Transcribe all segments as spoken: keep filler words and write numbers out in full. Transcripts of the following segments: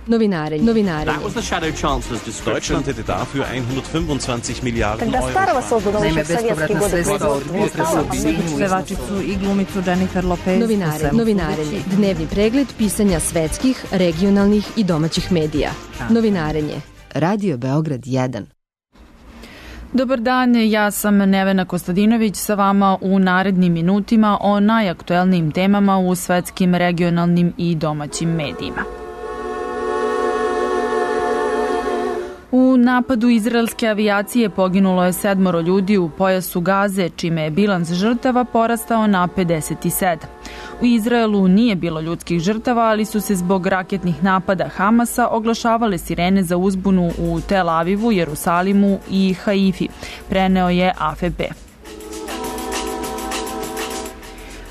Novinarenje. Novinarenje. That was the Shadow Chancellor's description. Deutschland hätte dafür hundertfünfundzwanzig Miliarden Тогда Euro. старого созданного еще в советские годы производства не стало. Pevačicu i glumicu Jennifer Lopez. Novinarenje. Novinarenje. Dnevni pregled pisanja svetskih, regionalnih i domaćih medija. Novinarenje. Radio Beograd jedan. Dobar dan, ja sam Nevena Kostadinović sa vama u narednim minutima o najaktuelnijim temama u svetskim, regionalnim i domaćim medijima. U napadu izraelske avijacije poginulo je sedmoro ljudi u pojasu Gaze, čime je bilans žrtava porastao na pedeset sedam. U Izraelu nije bilo ljudskih žrtava, ali su se zbog raketnih napada Hamasa oglašavale sirene za uzbunu u Tel Avivu, Jerusalimu i Haifi, preneo je A F P.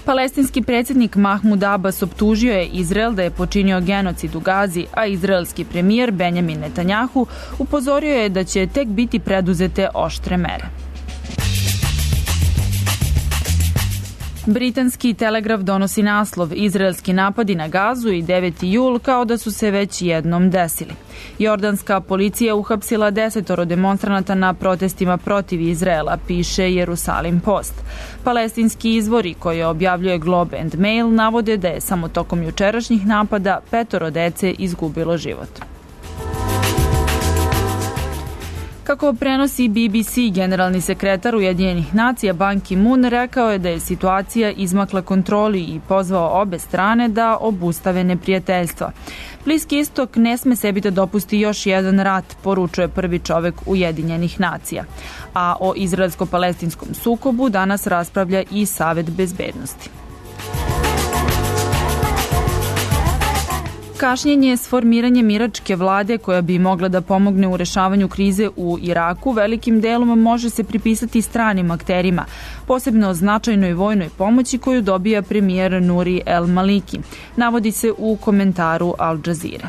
Palestinski predsjednik Mahmud Abbas optužio je Izrael da je počinio genocid u Gazi, a izraelski premijer Benjamin Netanjahu upozorio je da će tek biti preduzete oštre mere. Britanski Telegraf donosi naslov Izraelski napadi na Gazu i deveti jul kao da su se već jednom desili. Jordanska policija uhapsila desetoro demonstranata na protestima protiv Izraela, piše Jerusalim Post. Palestinski izvori koje objavljuje Globe and Mail navode da je samo tokom jučerašnjih napada petoro dece izgubilo život. Kako prenosi B B C, generalni sekretar Ujedinjenih nacija Ban Ki-moon rekao je da je situacija izmakla kontroli i pozvao obe strane da obustave neprijateljstva. Bliski istok ne sme sebi da dopusti još jedan rat, poručuje prvi čovek Ujedinjenih nacija. A o izraelsko-palestinskom sukobu danas raspravlja i Savet bezbednosti. Kašnjenje s formiranjem iračke vlade koja bi mogla da pomogne u rešavanju krize u Iraku velikim delom može se pripisati stranim akterima, posebno značajnoj vojnoj pomoći koju dobija premijer Nuri El Maliki, navodi se u komentaru Al Jazeera.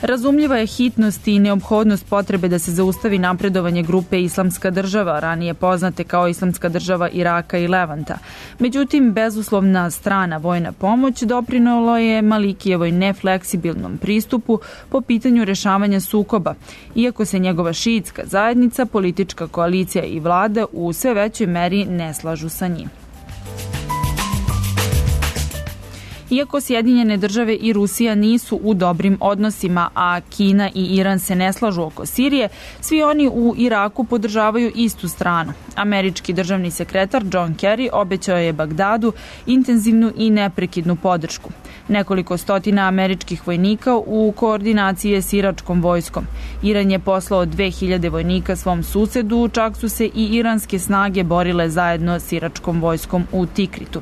Razumljiva je hitnost i neophodnost potrebe da se zaustavi napredovanje grupe Islamska država, ranije poznate kao Islamska država Iraka i Levanta. Međutim, bezuslovna strana vojna pomoć doprinelo je Malikijevoj nefleksibilnom pristupu po pitanju rešavanja sukoba, iako se njegova šiitska zajednica, politička koalicija i vlada u sve većoj meri ne slažu sa njim. Iako Sjedinjene države i Rusija nisu u dobrim odnosima, a Kina i Iran se ne slažu oko Sirije, svi oni u Iraku podržavaju istu stranu. Američki državni sekretar John Kerry obećao je Bagdadu intenzivnu i neprekidnu podršku. Nekoliko stotina američkih vojnika u koordinaciji je s iračkom vojskom. Iran je poslao dve hiljade vojnika svom susedu, čak su se i iranske snage borile zajedno s iračkom vojskom u Tikritu.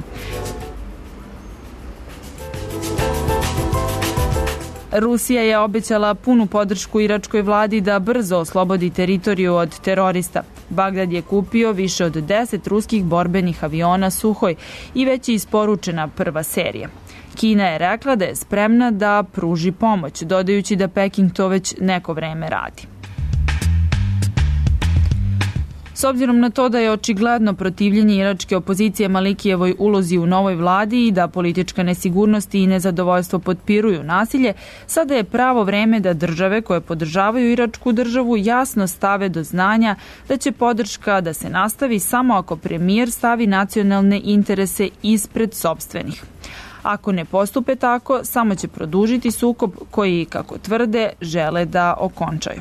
Rusija je obećala punu podršku iračkoj vladi da brzo oslobodi teritoriju od terorista. Bagdad je kupio više od deset ruskih borbenih aviona Suhoj i već je isporučena prva serija. Kina je rekla da je spremna da pruži pomoć, dodajući da Peking to već neko vreme radi. S obzirom na to da je očigledno protivljenje iračke opozicije Malikijevoj ulozi u novoj vladi i da politička nesigurnost i nezadovoljstvo potpiruju nasilje, sada je pravo vreme da države koje podržavaju iračku državu jasno stave do znanja da će podrška da se nastavi samo ako premijer stavi nacionalne interese ispred sopstvenih. Ako ne postupe tako, samo će produžiti sukob koji, kako tvrde, žele da okončaju.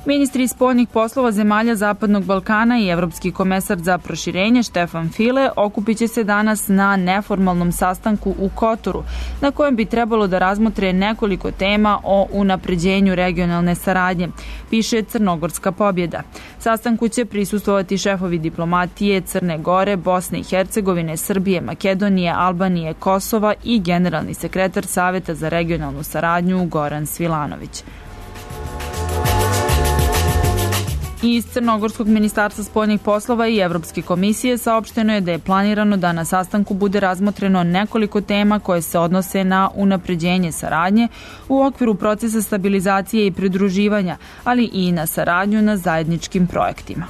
Ministri spoljnih poslova zemalja Zapadnog Balkana i Evropski komesar za proširenje Štefan File okupit će se danas na neformalnom sastanku u Kotoru, na kojem bi trebalo da razmotre nekoliko tema o unapređenju regionalne saradnje, piše Crnogorska pobjeda. Sastanku će prisustvovati šefovi diplomatije Crne Gore, Bosne i Hercegovine, Srbije, Makedonije, Albanije, Kosova i generalni sekretar Saveta za regionalnu saradnju Goran Svilanović. Iz Crnogorskog ministarstva spoljnih poslova i Evropske komisije saopšteno je da je planirano da na sastanku bude razmotreno nekoliko tema koje se odnose na unapređenje saradnje u okviru procesa stabilizacije i pridruživanja, ali i na saradnju na zajedničkim projektima.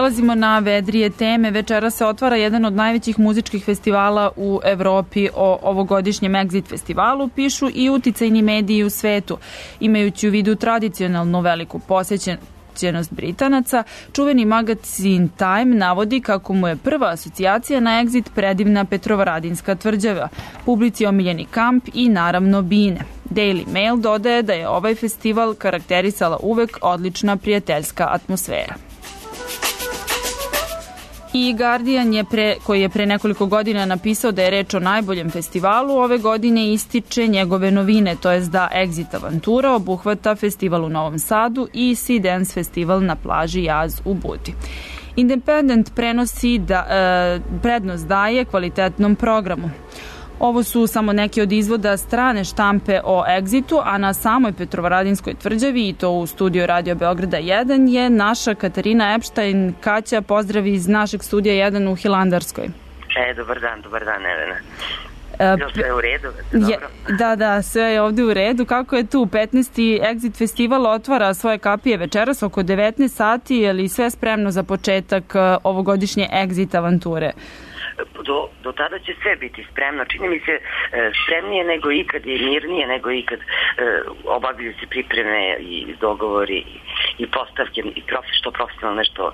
prelazimo na vedrije teme. Večera se otvara jedan od najvećih muzičkih festivala u Evropi. O ovogodišnjem Exit festivalu pišu i uticajni mediji u svetu. Imajući u vidu tradicionalnu veliku posjećenost Britanaca, čuveni magazin Time navodi kako mu je prva asocijacija na Exit predivna Petrovaradinska tvrđava, publici omiljeni kamp i naravno bine. Daily Mail dodaje da je ovaj festival karakterisala uvek odlična prijateljska atmosfera. I Guardian, je pre, koji je pre nekoliko godina napisao da je reč o najboljem festivalu, ove godine ističe njegove novine, to jest da Exit Avantura obuhvata festival u Novom Sadu i Sea Dance festival na plaži Jaz u Budi. Independent prenosi da e, prednost daje kvalitetnom programu. Ovo su samo neki od izvoda strane štampe o Exitu, a na samoj Petrovaradinskoj tvrđavi, i to u studiju Radio Beograda jedan, je naša Katarina Epštajn. Kaća, pozdrav iz našeg studija jedan u Hilandarskoj. E, dobar dan, dobar dan, Elena. Bilo sve u redu? Je, da, da, sve je ovde u redu. Kako je tu? petnaesti Exit festival otvara svoje kapije večeras oko devetnaest sati, je li sve spremno za početak ovogodišnje Exit avanture? Do, do tada će sve biti spremno. Čini mi se e, spremnije nego ikad i mirnije nego ikad. E, obavljaju se pripreme i dogovori i, i postavke i profi, što profesionalno nešto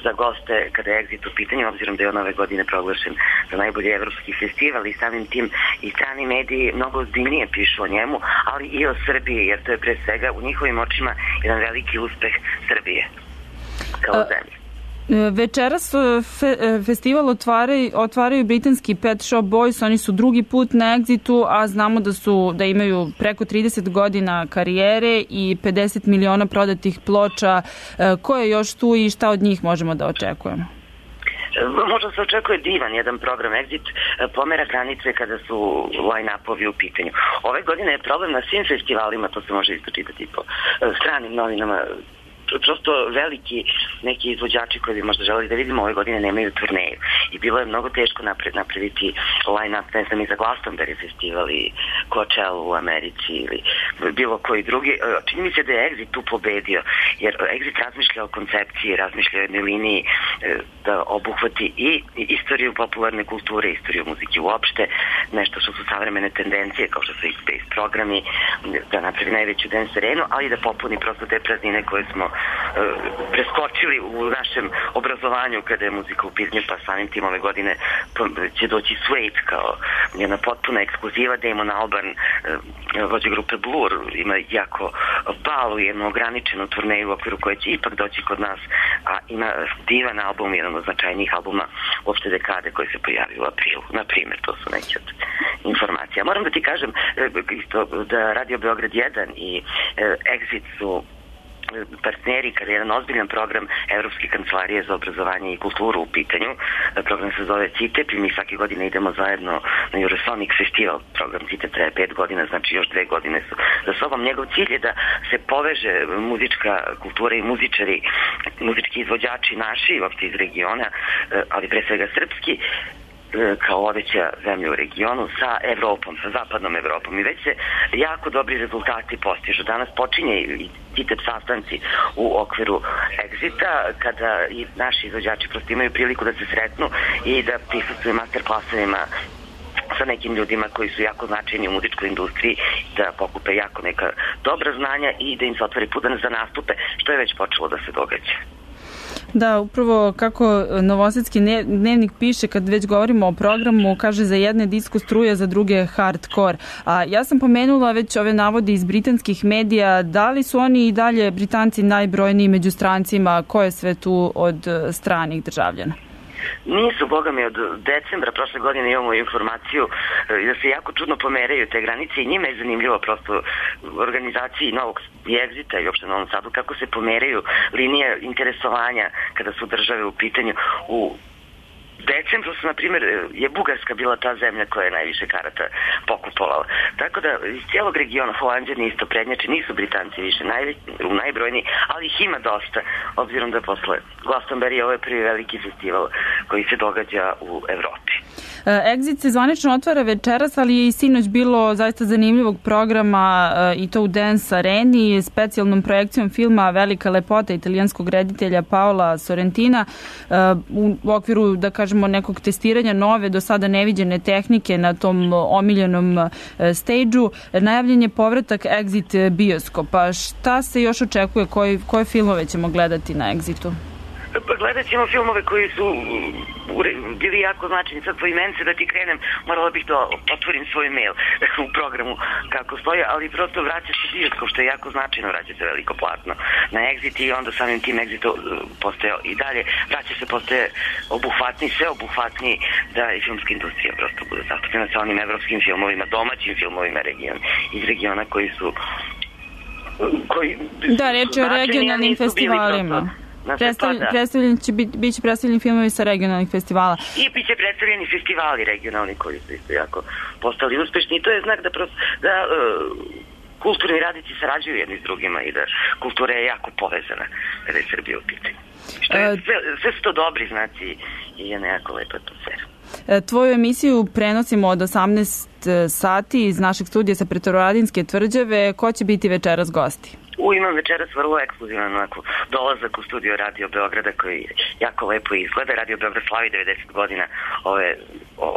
za goste kada je Exit u pitanju, obzirom da je on ove godine proglašen za najbolji evropski festival i samim tim i strani mediji mnogo ozbiljnije pišu o njemu, ali i o Srbiji, jer to je pre svega u njihovim očima jedan veliki uspeh Srbije kao zemlje. Večeras fe, festival otvaraju, otvaraju britanski Pet Shop Boys, oni su drugi put na Exitu, a znamo da su da imaju preko trideset godina karijere i pedeset miliona prodatih ploča. Ko je još tu i šta od njih možemo da očekujemo? Možda se očekuje divan jedan program. Exit pomera granice kada su line-upovi u pitanju. Ove godine je problem na svim festivalima, to se može isto čitati po stranim novinama, prosto veliki neki izvođači koji bi možda želeli da vidimo ove godine nemaju turneju i bilo je mnogo teško napred, napraviti line-up, ne znam, i za Glastonbury festival i Coachella u Americi ili bilo koji drugi. Čini mi se da je Exit tu pobedio, jer Exit razmišlja o koncepciji, razmišlja o jednoj liniji da obuhvati i istoriju popularne kulture, istoriju muzike uopšte, nešto što su savremene tendencije kao što su i space programi, da napravi najveću dance arenu, ali da popuni prosto te praznine koje smo preskočili u našem obrazovanju kada je muzika u pitanju, pa samim tim ove godine će doći Suede kao jedna potpuna ekskluziva. Damon Albarn, vođa grupe Blur, ima jako balu, jednu ograničenu turneju u okviru koje će ipak doći kod nas, a ima divan album, jedan od značajnijih albuma uopšte dekade koji se pojavio u aprilu. Na primjer, to su neke od informacija. Moram da ti kažem isto da Radio Beograd jedan i Exit su partneri kada je jedan ozbiljan program Evropske kancelarije za obrazovanje i kulturu u pitanju. Program se zove CITEP i mi svake godine idemo zajedno na Eurosonic festival. Program CITEP traje pet godina, znači još dve godine su za sobom. Njegov cilj je da se poveže muzička kultura i muzičari, muzički izvođači naši, uopšte iz regiona, ali pre svega srpski, kao vodeća zemlja u regionu sa Evropom, sa zapadnom Evropom, i već se jako dobri rezultati postižu. Danas počinje i CITEP sastanci u okviru Exita, kada i naši izvođači prosto imaju priliku da se sretnu i da prisustvuju master klasovima sa nekim ljudima koji su jako značajni u muzičkoj industriji, da pokupe jako neka dobra znanja i da im se otvori put za nastupe, što je već počelo da se događa. Da, upravo kako Novosadski dnevnik piše, kad već govorimo o programu, kaže za jedne disko struje, za druge hardcore. A ja sam pomenula već ove navode iz britanskih medija. Da li su oni i dalje Britanci najbrojniji među strancima? Ko je sve tu od stranih državljana? Nisu, boga mi, od decembra prošle godine imamo informaciju da se jako čudno pomeraju te granice i njima je zanimljivo prosto organizaciji Novog Exita i uopšte Novom Sadu kako se pomeraju linije interesovanja kada su države u pitanju. U decembru su, na primjer, je Bugarska bila ta zemlja koja je najviše karata pokupovala. Tako da iz cijelog regiona Holanđani isto prednjače, nisu Britanci više naj, najbrojniji, ali ih ima dosta, obzirom da posle Glastonbury ovo je prvi veliki festival koji se događa u Evropi. Exit se zvanično otvara večeras, ali je i sinoć bilo zaista zanimljivog programa i to u Dance Areni, specijalnom projekcijom filma Velika lepota italijanskog reditelja Paola Sorrentina u okviru, da kažemo, nekog testiranja nove, do sada neviđene tehnike na tom omiljenom stage-u. Najavljen je povratak Exit bioskopa. Šta se još očekuje? Koje, koje filmove ćemo gledati na Exitu? Pa gledat ćemo filmove koji su bili jako značajni. Sad po imence da ti krenem, morala bih da otvorim svoj mail u programu kako stoji, ali prosto vraća se bioskop, što je jako značajno, vraća se veliko platno na Exit i onda samim tim Exit postaje i dalje, vraća se, postaje obuhvatniji, sve obuhvatniji da i filmska industrija prosto bude zastupljena sa onim evropskim filmovima, domaćim filmovima region, iz regiona koji su koji da, reč je o regionalnim festivalima. Predstavljen, pa da. predstavljen će biti, bit će predstavljeni filmovi sa regionalnih festivala. I bit će predstavljeni festivali regionalni koji su isto jako postali uspešni i to je znak da, prosto, da uh, kulturni radnici sarađuju jedni s drugima i da kultura je jako povezana kada je Srbija u pitanju. Što je, sve, sve su to dobri znaci i je nekako lepa atmosfera. Tvoju emisiju prenosimo od osamnaest sati iz našeg studija sa Petrovaradinske tvrđave. Ko će biti večeras gosti? U, imam večeras vrlo ekskluzivan onako dolazak u studio Radio Beograda koji jako lepo izgleda. Radio Beograd slavi devedeset godina, ove,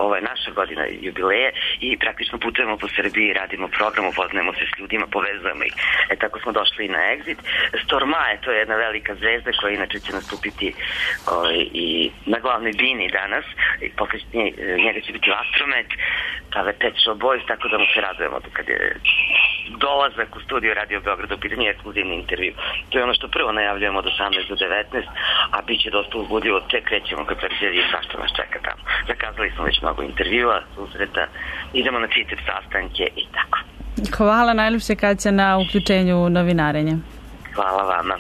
ovo je naša godina jubileje i praktično putujemo po Srbiji, radimo program, upoznajemo se s ljudima, povezujemo ih. E tako smo došli i na Exit. Stormae, to je jedna velika zvezda koja inače će nastupiti ovaj, i na glavnoj bini danas. I posle njega će biti Astromet, pa Pet Shop Boys, tako da mu se radujemo kad je dolazak u studio Radio Beograda u pitanju ekskluzivni intervju. To je ono što prvo najavljujemo od osamnaest do devetnaest, a bit će dosta uzbudljivo, tek krećemo kad perđeri i svašta nas čeka tamo. Zakazali smo već mnogo intervjua, susreta, idemo na CITEP sastanke i tako. Hvala najljepše, Kaća, na uključenju u novinarenje. Hvala vama.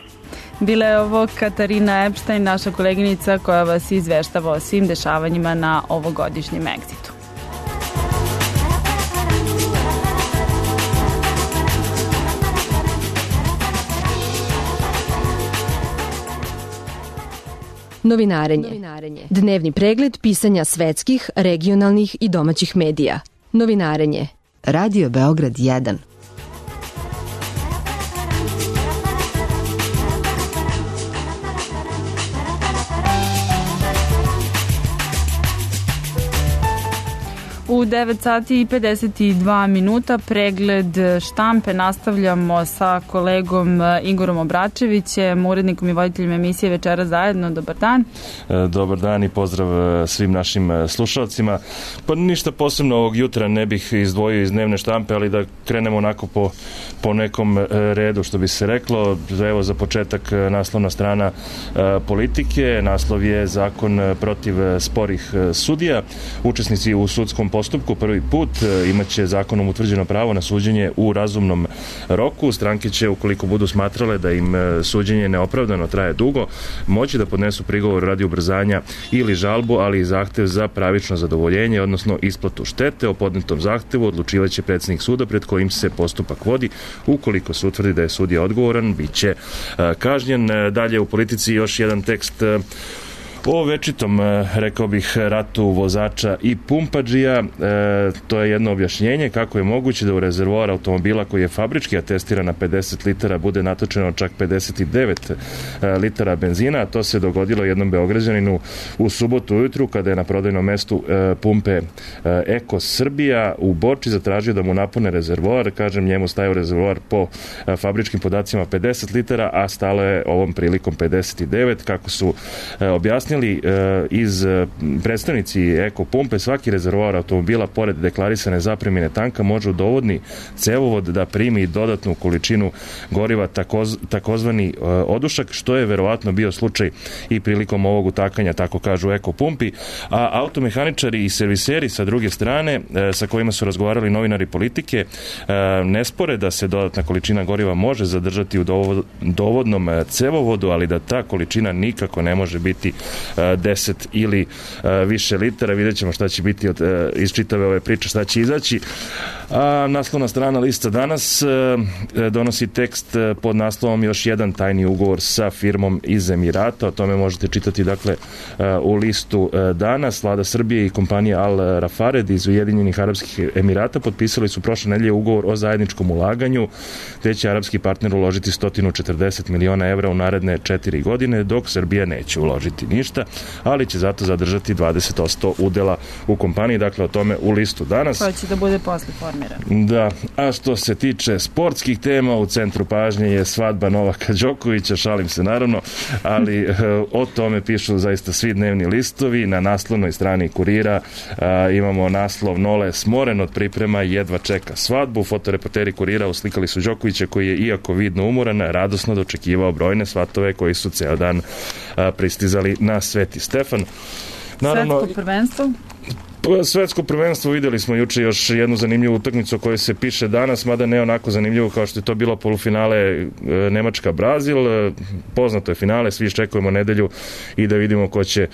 Bila je ovo Katarina Epštajn, naša koleginica koja vas izveštava o svim dešavanjima na ovogodišnjem Exitu. Novinarenje. Dnevni pregled pisanja svetskih, regionalnih i domaćih medija. Novinarenje. Radio Beograd jedan. U devet sati i pedeset dva minuta pregled štampe nastavljamo sa kolegom Igorom Obračevićem, urednikom i voditeljem emisije Večeras zajedno. Dobar dan. Dobar dan i pozdrav svim našim slušalcima. Pa ništa posebno ovog jutra ne bih izdvojio iz dnevne štampe, ali da krenemo onako po, po nekom redu, što bi se reklo. Evo za početak naslovna strana Politike. Naslov je Zakon protiv sporih sudija. Učesnici u sudskom postupku prvi put imaće zakonom utvrđeno pravo na suđenje u razumnom roku. Stranke će, ukoliko budu smatrale da im suđenje neopravdano traje dugo, moći da podnesu prigovor radi ubrzanja ili žalbu, ali i zahtev za pravično zadovoljenje, odnosno isplatu štete. O podnetom zahtevu odlučivaće predsjednik suda pred kojim se postupak vodi. Ukoliko se utvrdi da je sudija odgovoran, bit će kažnjen. Dalje u Politici još jedan tekst o večitom, rekao bih, ratu vozača i pumpađija. E, to je jedno objašnjenje kako je moguće da u rezervoar automobila koji je fabrički atestiran na pedeset litara bude natočeno čak pedeset devet litara benzina, a to se dogodilo jednom Beograđaninu u subotu ujutru kada je na prodajnom mestu e, pumpe e, Eko Srbija u Borči zatražio da mu napune rezervoar. Kažem, njemu stajao rezervoar po e, fabričkim podacima pedeset litara, a stalo je ovom prilikom pedeset devet. Kako su e, objasnili iz predstavnici Eko pumpe, svaki rezervoar automobila pored deklarisane zapremine tanka može u dovodni cevovod da primi dodatnu količinu goriva, takoz, takozvani odušak, što je verovatno bio slučaj i prilikom ovog utakanja, tako kažu Eko pumpi. A automehaničari i serviseri sa druge strane, sa kojima su razgovarali novinari Politike, ne spore da se dodatna količina goriva može zadržati u dovodnom cevovodu, ali da ta količina nikako ne može biti deset ili više litara. Vidjet ćemo šta će biti od, iz čitave ove priče, šta će izaći. A naslovna strana lista danas donosi tekst pod naslovom još jedan tajni ugovor sa firmom iz Emirata. O tome možete čitati dakle u listu danas. Vlada Srbije i kompanija Al Rafared iz Ujedinjenih Arapskih Emirata potpisali su prošle nedelje ugovor o zajedničkom ulaganju, gde će arapski partner uložiti sto četrdeset miliona evra u naredne četiri godine, dok Srbija neće uložiti ništa, ali će zato zadržati dvadeset posto udela u kompaniji. Dakle, o tome u listu danas. Koja će da bude posle formirana. Da, a što se tiče sportskih tema, u centru pažnje je svadba Novaka Đokovića, šalim se naravno, ali e, o tome pišu zaista svi dnevni listovi. Na naslovnoj strani Kurira a, imamo naslov Nole smoren od priprema i jedva čeka svadbu. Fotoreporteri Kurira uslikali su Đokovića koji je, iako vidno umoran, radosno dočekivao brojne svatove koji su ceo dan a, pristizali na Sveti Stefan. Naravno, svetsko prvenstvo? Svetsko prvenstvo, videli smo juče još jednu zanimljivu utakmicu o kojoj se piše danas, mada ne onako zanimljivo kao što je to bilo polufinale Nemačka-Brazil. Poznato je finale, svi iščekujemo nedelju i da vidimo ko će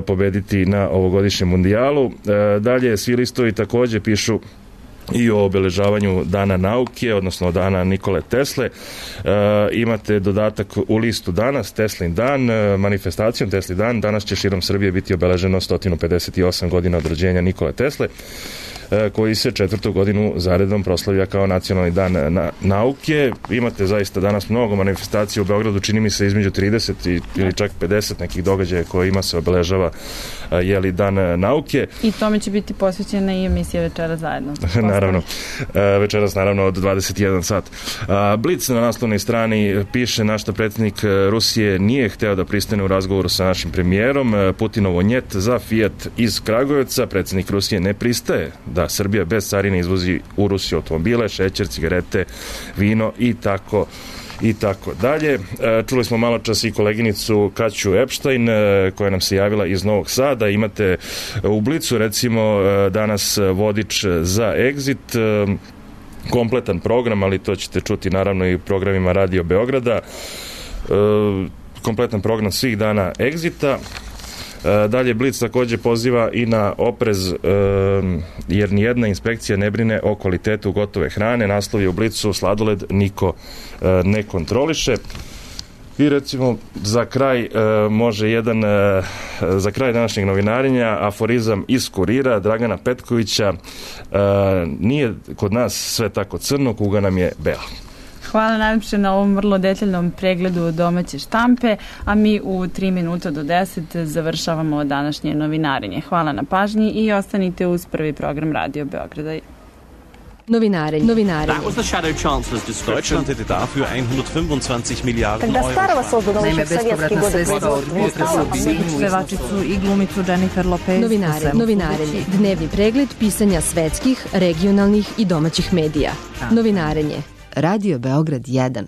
pobediti na ovogodišnjem mundijalu. Dalje, svi listovi takođe pišu i o obeležavanju Dana nauke, odnosno Dana Nikole Tesle. E, imate dodatak u listu danas, Teslin dan, e, manifestacijom Teslin dan. Danas će širom Srbije biti obeleženo sto pedeset osam godina od rođenja Nikole Tesle, e, koji se četvrtu godinu zaredom proslavlja kao nacionalni dan na, nauke. Imate zaista danas mnogo manifestacija u Beogradu, čini mi se između trideset i, ili čak pedeset nekih događaja koje ima se obeležava e, jeli dan nauke. I tome će biti posvećena i emisija Večera zajedno. Naravno, večeras naravno od dvadeset jedan sat. Blic na naslovnoj strani piše našta predsjednik Rusije nije hteo da pristane u razgovoru sa našim premijerom. Putinovo njet za Fiat iz Kragujevca. Predsjednik Rusije ne pristaje da Srbija bez carine izvozi u Rusiju automobile, šećer, cigarete, vino i tako i tako dalje. Čuli smo malo čas i koleginicu Kaću Epstein koja nam se javila iz Novog Sada. Imate u Blicu recimo danas vodič za Exit, kompletan program, ali to ćete čuti naravno i u programima Radio Beograda. Kompletan program svih dana Exita. Dalje Blic takođe poziva i na oprez jer nijedna inspekcija ne brine o kvalitetu gotove hrane. Naslov je u Blicu sladoled niko ne kontroliše. I recimo za kraj može jedan za kraj današnjeg novinarenja aforizam iz Kurira Dragana Petkovića: nije kod nas sve tako crno, kuga nam je bela. Hvala najlepše na ovom vrlo detaljnom pregledu domaće štampe, a mi u tri minuta do deset završavamo današnje novinarenje. Hvala na pažnji i ostanite uz prvi program Radio Beograda. Novinarenje. Novinarenje. Deutschland hätte dafür hundertfünfundzwanzig Milliarden Когда Старого создано Naime, bespovratna sredstva od Pevačicu i glumicu Jennifer Lopez. Novinare, novinarenje. Dnevni pregled pisanja svetskih, regionalnih i domaćih medija. Novinarenje. Radio Beograd jedan.